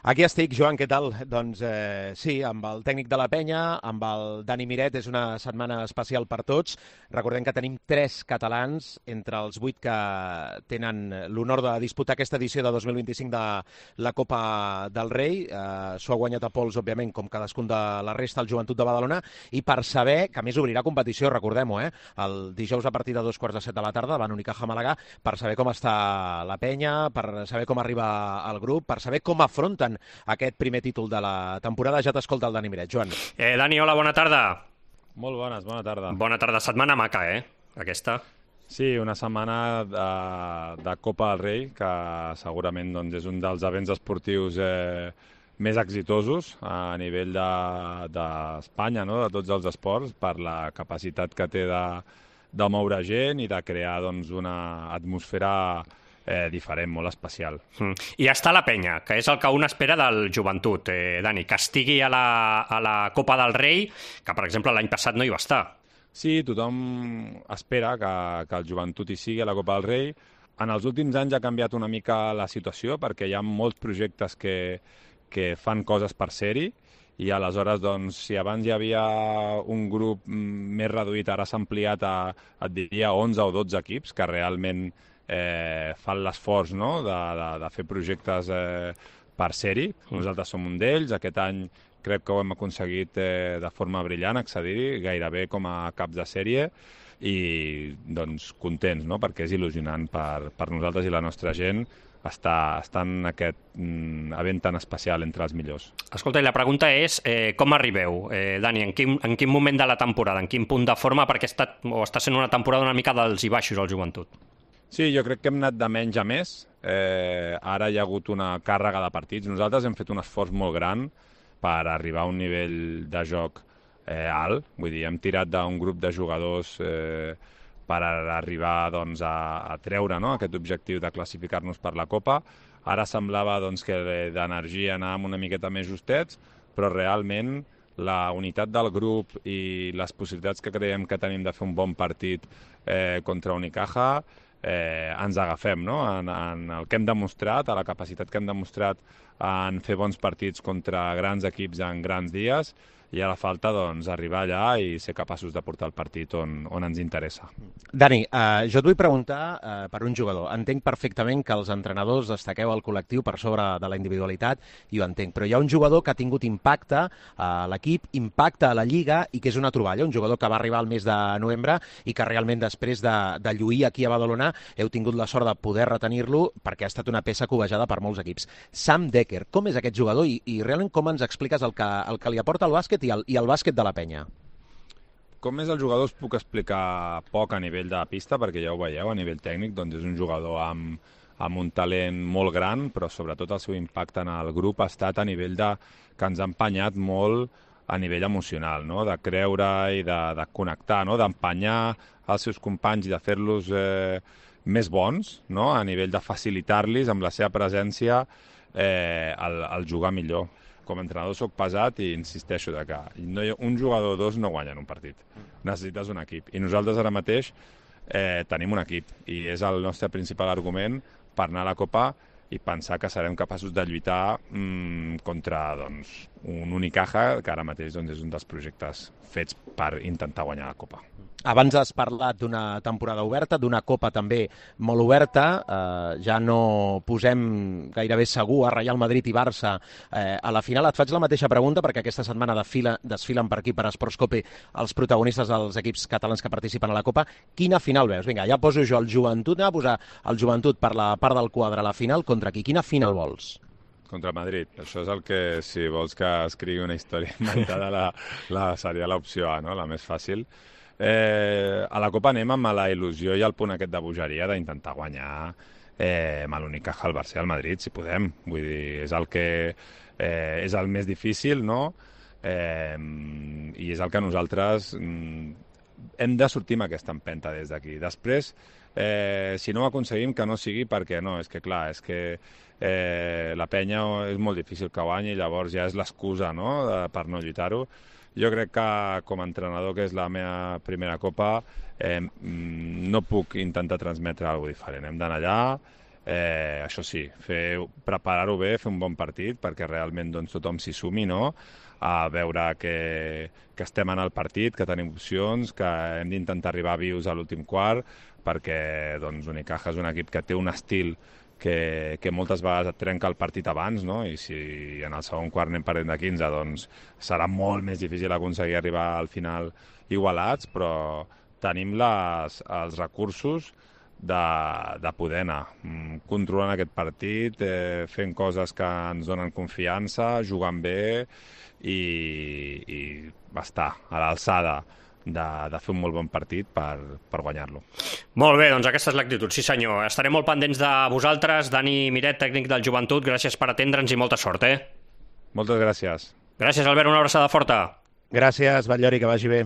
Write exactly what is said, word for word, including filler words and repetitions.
Aquí estic, Joan, què tal? Doncs eh, sí, amb el tècnic de la penya, amb el Dani Miret, és una setmana especial per tots. Recordem que tenim tres catalans entre els vuit que tenen l'honor de disputar aquesta edició de dos mil vint-i-cinc de la Copa del Rei. Eh, S'ho ha guanyat a pols, òbviament, com cadascun de la resta, el Joventut de Badalona, i per saber, que a més obrirà competició, recordem-ho, eh, el dijous a partir de dos quarts de set de la tarda, davant Unicaja Màlaga, per saber com està la penya, per saber com arriba el grup, per saber com afronten aquest primer títol de la temporada. Ja t'escolta el Dani Miret. Joan. Eh, Dani, hola, bona tarda. Molt bones, bona tarda. Bona tarda. Setmana maca, eh? Aquesta. Sí, una setmana de, de Copa del Rei, que segurament doncs, és un dels events esportius eh, més exitosos a nivell d'Espanya, de, no? De tots els esports, per la capacitat que té de, de moure gent i de crear doncs, una atmosfera Eh, diferent, molt especial. Mm. I està la penya, que és el que un espera del Joventut, eh, Dani, que estigui a la, a la Copa del Rei, que per exemple l'any passat no hi va estar. Sí, tothom espera que, que el Joventut hi sigui a la Copa del Rei. En els últims anys ha canviat una mica la situació perquè hi ha molts projectes que, que fan coses per ser-hi i aleshores, doncs, si abans hi havia un grup més reduït, ara s'ha ampliat a, et diria, onze o dotze equips que realment Eh, fan l'esforç, no?, de, de, de fer projectes eh, per ser-hi. Nosaltres som un d'ells. Aquest any crec que ho hem aconseguit eh, de forma brillant, accedir gairebé com a caps de sèrie i doncs contents, no?, perquè és il·lusionant per, per nosaltres i la nostra gent estar, estar en aquest mm, event tan especial entre els millors. Escolta, i la pregunta és eh, com arribeu, eh, Dani, en quin, en quin moment de la temporada, en quin punt de forma, perquè està, o està sent una temporada una mica dels i baixos al Joventut? Sí, jo crec que hem anat de menys a més. Eh, ara hi ha hagut una càrrega de partits. Nosaltres hem fet un esforç molt gran per arribar a un nivell de joc eh, alt. Vull dir, hem tirat d'un grup de jugadors eh, per arribar doncs, a, a treure, no?, aquest objectiu de classificar-nos per la Copa. Ara semblava doncs, que d'energia anàvem una miqueta més justets, però realment la unitat del grup i les possibilitats que creiem que tenim de fer un bon partit eh, contra Unicaja Eh, ens agafem, no?, en, en el que hem demostrat, a la capacitat que hem demostrat en fer bons partits contra grans equips en grans dies, i ara falta doncs, arribar allà i ser capaços de portar el partit on, on ens interessa. Dani, eh, jo et vull preguntar eh, per un jugador. Entenc perfectament que els entrenadors destaqueu el col·lectiu per sobre de la individualitat, i ho entenc, però hi ha un jugador que ha tingut impacte a l'equip, impacte a la Lliga, i que és una troballa, un jugador que va arribar al mes de novembre i que realment després de, de lluir aquí a Badalona heu tingut la sort de poder retenir-lo perquè ha estat una peça cobejada per molts equips. Sam Dekker, com és aquest jugador i, i realment com ens expliques el que, el que li aporta el bàsquet i el, i el bàsquet de la penya? Com és el jugador us puc explicar poc a nivell de pista, perquè ja ho veieu, a nivell tècnic, doncs és un jugador amb, amb un talent molt gran, però sobretot el seu impacte en el grup ha estat a nivell de que ens ha empenyat molt a nivell emocional, no?, de creure i de, de connectar, no?, d'empenyar els seus companys i de fer-los eh, més bons, no?, a nivell de facilitar-los amb la seva presència eh, el, el jugar millor. Com a entrenador soc pesat i insisteixo de que no hi ha, un jugador o dos no guanyen un partit. Necessites un equip. I nosaltres ara mateix eh, tenim un equip i és el nostre principal argument per anar a la Copa i pensar que serem capaços de lluitar mmm, contra doncs, un Unicaja, que ara mateix doncs, és un dels projectes fets per intentar guanyar la Copa. Abans has parlat d'una temporada oberta, d'una Copa també molt oberta. Eh, ja no posem gairebé segur a Real Madrid i Barça eh, a la final. Et faig la mateixa pregunta perquè aquesta setmana desfila, desfilen per aquí, per Esportscope, els protagonistes dels equips catalans que participen a la Copa. Quina final veus? Vinga, ja poso jo el Joventut, anem a posar el Joventut per la part del quadre a la final. Contra qui? Quina final vols? Contra Madrid. Això és el que, si vols que escrigui una història inventada, la, la, seria l'opció A, no?, la més fàcil. Eh, a la Copa anem amb la il·lusió i el punt aquest de bogeria d'intentar guanyar eh, amb l'Unicaja, el Barça i el Madrid, si podem. Vull dir, és el que eh, és el més difícil, no?, eh, i és el que nosaltres mm, hem de sortir amb aquesta empenta des d'aquí. Després, eh, si no ho aconseguim, que no sigui perquè no, és que clar, és que eh, la penya és molt difícil que guanyi, llavors ja és l'excusa, no?, de, per no lluitar-ho. Jo crec que com a entrenador, que és la meva primera Copa, eh, no puc intentar transmetre alguna cosa diferent. Hem d'anar allà, Eh, això sí, fer, preparar-ho bé, fer un bon partit perquè realment doncs, tothom s'hi sumi, no? A veure que, que estem en el partit, que tenim opcions, que hem d'intentar arribar vius a l'últim quart, perquè doncs, Unicaja és un equip que té un estil que, que moltes vegades et trenca el partit abans, no? I si en el segon quart anem perdent de quinze, doncs serà molt més difícil aconseguir arribar al final igualats, però tenim les, els recursos de, de poder anar controlant aquest partit, eh, fent coses que ens donen confiança, jugant bé i, i estar a l'alçada de, de fer un molt bon partit per, per guanyar-lo. Molt bé, doncs aquesta és l'actitud, sí senyor. Estarem molt pendents de vosaltres. Dani Miret, tècnic del Joventut, gràcies per atendre'ns i molta sort, eh? Moltes gràcies. Gràcies, Albert, una abraçada forta. Gràcies, Batllori, que vagi bé.